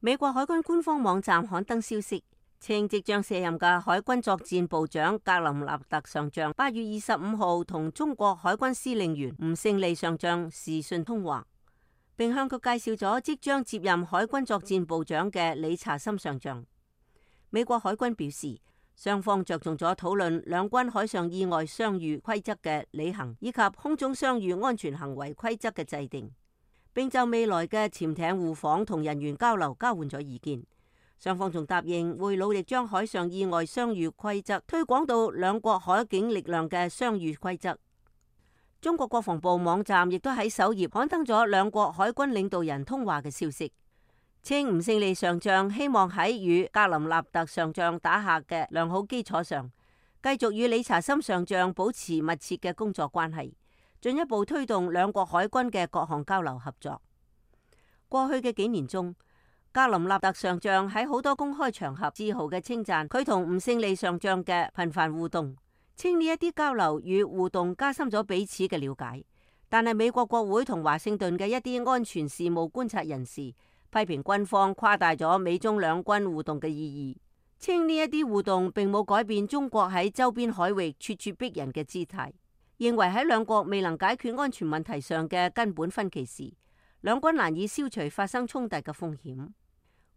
美國海軍官方網站刊登消息，稱即將卸任嘅海軍作戰部長格林納特上將8月25號同中國海軍司令員吳勝利上將視訊通話，並向佢介紹咗即將接任海軍作戰部長嘅理查森上將。美國海軍表示，雙方着重咗討論兩軍海上意外相遇規則嘅履行，以及空中相遇安全行為規則嘅制定，並就未來嘅潛艇互訪同人員交流交換咗意見。雙方仲答應會努力將海上意外相遇規則推廣到兩國海警力量嘅相遇規則。中國國防部網站亦都喺首頁刊登咗兩國海軍領導人通話嘅消息，稱吳勝利上將希望喺與格林納特上將打下嘅良好基礎上，繼續與理查森上將保持密切嘅工作關係，進一步推動兩國海軍嘅各項交流合作。過去嘅幾年中，格林納特上將喺好多公開場合自豪嘅稱讚佢同吳勝利上將嘅頻繁互動，稱呢一啲交流與互動加深咗彼此嘅了解。但係美國國會同華盛頓嘅一啲安全事務觀察人士批評軍方誇大咗美中兩軍互動嘅意義，稱呢一啲互動並冇改變中國喺周邊海域咄咄逼人嘅姿態，認為喺兩國未能解決安全問題上嘅根本分歧時，兩軍難以消除發生衝突嘅風險。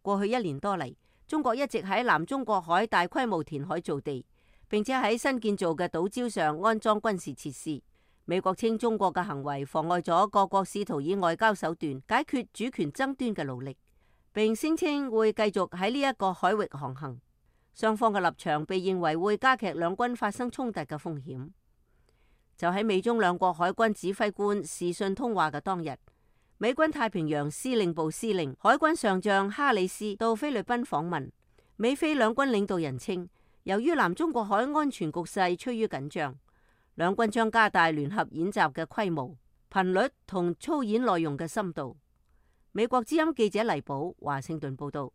過去1年多嚟，中國一直喺南中國海大規模填海造地，並且喺新建造嘅島礁上安裝軍事設施。美國稱中國嘅行為妨礙咗各國試圖以外交手段解決主權爭端嘅努力，並聲稱會繼續喺呢一個海域航行。雙方嘅立場被認為會加劇兩軍發生衝突嘅風險。就喺美中兩國海軍指揮官視訊通話嘅當日，美軍太平洋司令部司令海軍上將哈里斯到菲律賓訪問。美菲兩軍領導人稱，由於南中國海安全局勢趨於緊張，兩軍將加大聯合演習嘅規模、頻率同操演內容嘅深度。美國之音記者黎寶華盛頓報道。